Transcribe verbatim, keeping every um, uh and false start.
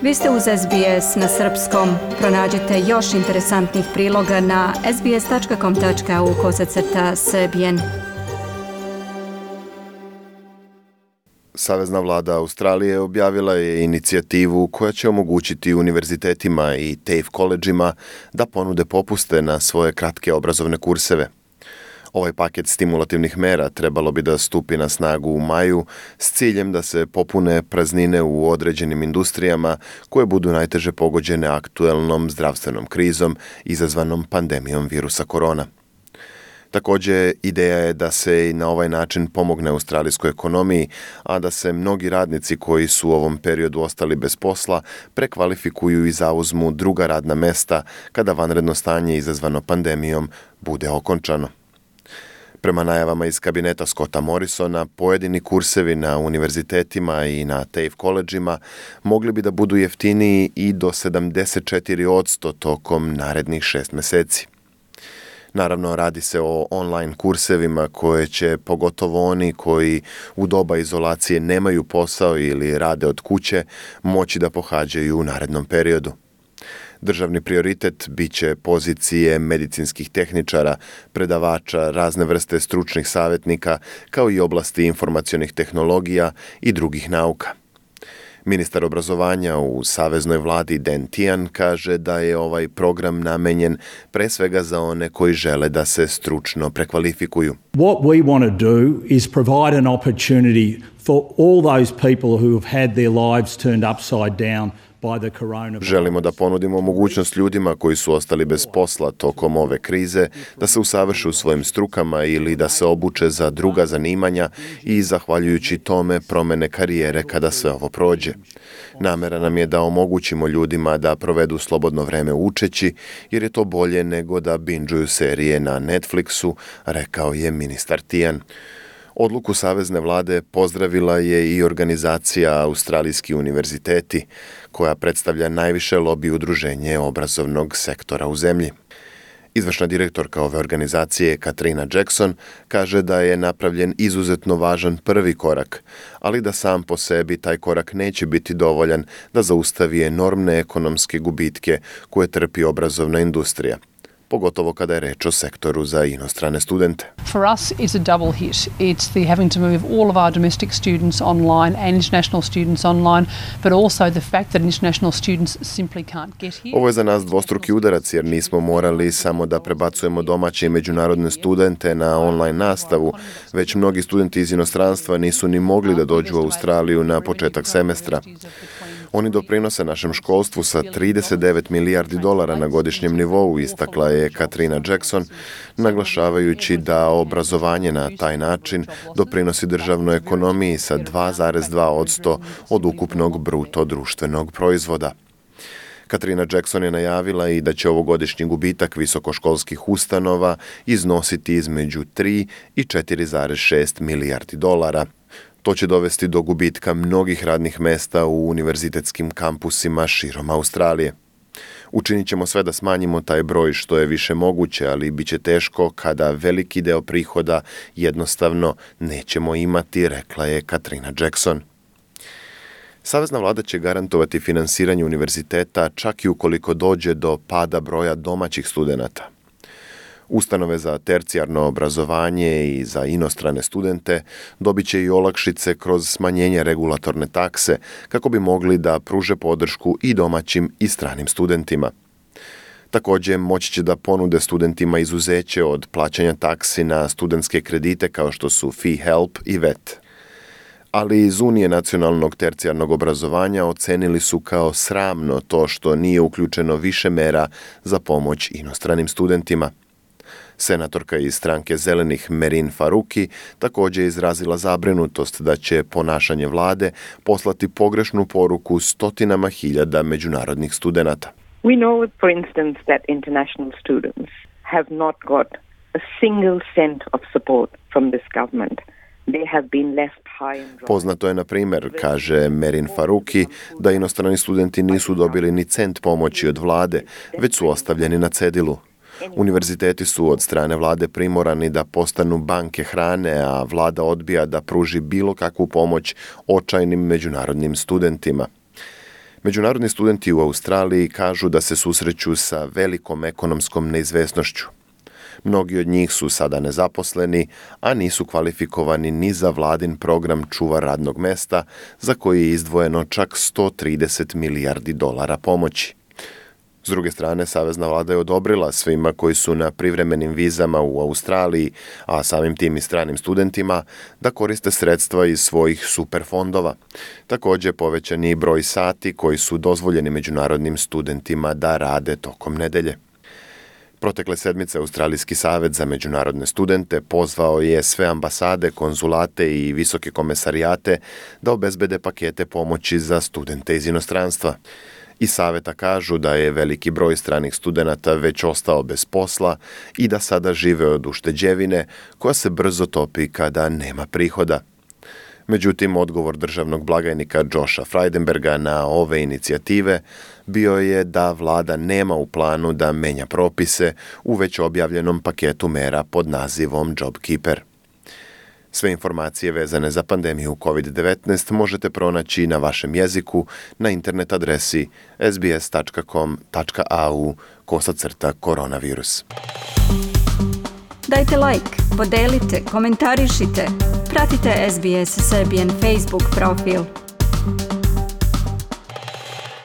Vi ste uz S B S na srpskom. Pronađite još interesantnih priloga na sbs.com.au kosacrta srbijen. Savezna vlada Australije objavila je inicijativu koja će omogućiti univerzitetima i TAFE koledžima da ponude popuste na svoje kratke obrazovne kurseve. Ovaj paket stimulativnih mera trebalo bi da stupi na snagu u maju s ciljem da se popune praznine u određenim industrijama koje budu najteže pogođene aktuelnom zdravstvenom krizom izazvanom pandemijom virusa korona. Također, ideja je da se i na ovaj način pomogne australijskoj ekonomiji, a da se mnogi radnici koji su u ovom periodu ostali bez posla prekvalifikuju i zauzmu druga radna mesta kada vanredno stanje izazvano pandemijom bude okončano. Prema najavama iz kabineta Scotta Morrisona, pojedini kursevi na univerzitetima i na TAFE koledžima mogli bi da budu jeftiniji i do sedamdeset četiri posto tokom narednih šest meseci. Naravno, radi se o online kursevima koje će, pogotovo oni koji u doba izolacije nemaju posao ili rade od kuće, moći da pohađaju u narednom periodu. Državni prioritet bit će pozicije medicinskih tehničara, predavača, razne vrste stručnih savjetnika, kao i oblasti informacionih tehnologija i drugih nauka. Ministar obrazovanja u saveznoj vladi Dan Tehan kaže da je ovaj program namenjen pre svega za one koji žele da se stručno prekvalifikuju. What we want to do is provide an opportunity for all those people who have had their lives turned upside down. Želimo da ponudimo mogućnost ljudima koji su ostali bez posla tokom ove krize da se usavrše u svojim strukama ili da se obuče za druga zanimanja i zahvaljujući tome promene karijere kada sve ovo prođe. Namera nam je da omogućimo ljudima da provedu slobodno vreme učeći, jer je to bolje nego da binđuju serije na Netflixu, rekao je ministar Tehan. Odluku savezne vlade pozdravila je i organizacija Australijski univerziteti, koja predstavlja najviše lobi udruženje obrazovnog sektora u zemlji. Izvršna direktorka ove organizacije, Katrina Jackson, kaže da je napravljen izuzetno važan prvi korak, ali da sam po sebi taj korak neće biti dovoljan da zaustavi enormne ekonomske gubitke koje trpi obrazovna industrija, pogotovo kada je reč o sektoru za inostrane studente. For us it's a double hit. It's the having to move all of our domestic students online and international students online, but also the fact that international students simply can't get here. Ovo je za nas dvostruki udarac jer nismo morali samo da prebacujemo domaće i međunarodne studente na online nastavu, već mnogi studenti iz inostranstva nisu ni mogli da dođu u Australiju na početak semestra. Oni doprinose našem školstvu sa trideset devet milijardi dolara na godišnjem nivou, istakla je Katrina Jackson, naglašavajući da obrazovanje na taj način doprinosi državnoj ekonomiji sa dva zarez dva posto od ukupnog bruto društvenog proizvoda. Katrina Jackson je najavila i da će ovogodišnji gubitak visokoškolskih ustanova iznositi između tri i četiri zarez šest milijardi dolara. To će dovesti do gubitka mnogih radnih mesta u univerzitetskim kampusima širom Australije. Učinit ćemo sve da smanjimo taj broj što je više moguće, ali bit će teško kada veliki deo prihoda jednostavno nećemo imati, rekla je Katrina Jackson. Savezna vlada će garantovati finansiranje univerziteta čak i ukoliko dođe do pada broja domaćih studenata. Ustanove za tercijarno obrazovanje i za inostrane studente dobit će i olakšice kroz smanjenje regulatorne takse kako bi mogli da pruže podršku i domaćim i stranim studentima. Također, moći će da ponude studentima izuzeće od plaćanja taksi na studentske kredite kao što su Fee Help i V E T. Ali iz Unije nacionalnog tercijarnog obrazovanja ocenili su kao sramno to što nije uključeno više mera za pomoć inostranim studentima. Senatorka iz stranke Zelenih Merin Faruqi također je izrazila zabrinutost da će ponašanje vlade poslati pogrešnu poruku stotinama hiljada međunarodnih studenata. We know, for instance, that international students have not got a single cent of support from this government. Poznato je, na primjer, kaže Merin Faruqi, da inostrani studenti nisu dobili ni cent pomoći od vlade, već su ostavljeni na cedilu. Univerziteti su od strane vlade primorani da postanu banke hrane, a vlada odbija da pruži bilo kakvu pomoć očajnim međunarodnim studentima. Međunarodni studenti u Australiji kažu da se susreću sa velikom ekonomskom neizvesnošću. Mnogi od njih su sada nezaposleni, a nisu kvalifikovani ni za vladin program čuvar radnog mesta, za koji je izdvojeno čak sto trideset milijardi dolara pomoći. S druge strane, savezna vlada je odobrila svima koji su na privremenim vizama u Australiji, a samim tim i stranim studentima, da koriste sredstva iz svojih superfondova. Također povećan je i broj sati koji su dozvoljeni međunarodnim studentima da rade tokom nedelje. Protekle sedmice Australijski savez za međunarodne studente pozvao je sve ambasade, konzulate i visoke komesarijate da obezbede pakete pomoći za studente iz inostranstva. Iz saveta kažu da je veliki broj stranih studenata već ostao bez posla i da sada žive od ušteđevine koja se brzo topi kada nema prihoda. Međutim, odgovor državnog blagajnika Josha Frydenberga na ove inicijative bio je da vlada nema u planu da menja propise u već objavljenom paketu mera pod nazivom JobKeeper. Sve informacije vezane za pandemiju kovid devetnaest možete pronaći na vašem jeziku na internet adresi s b s tačka com tačka a u kosacrta koronavirus. Dajte like, podelite, komentarišite, pratite S B S Serbian Facebook profil.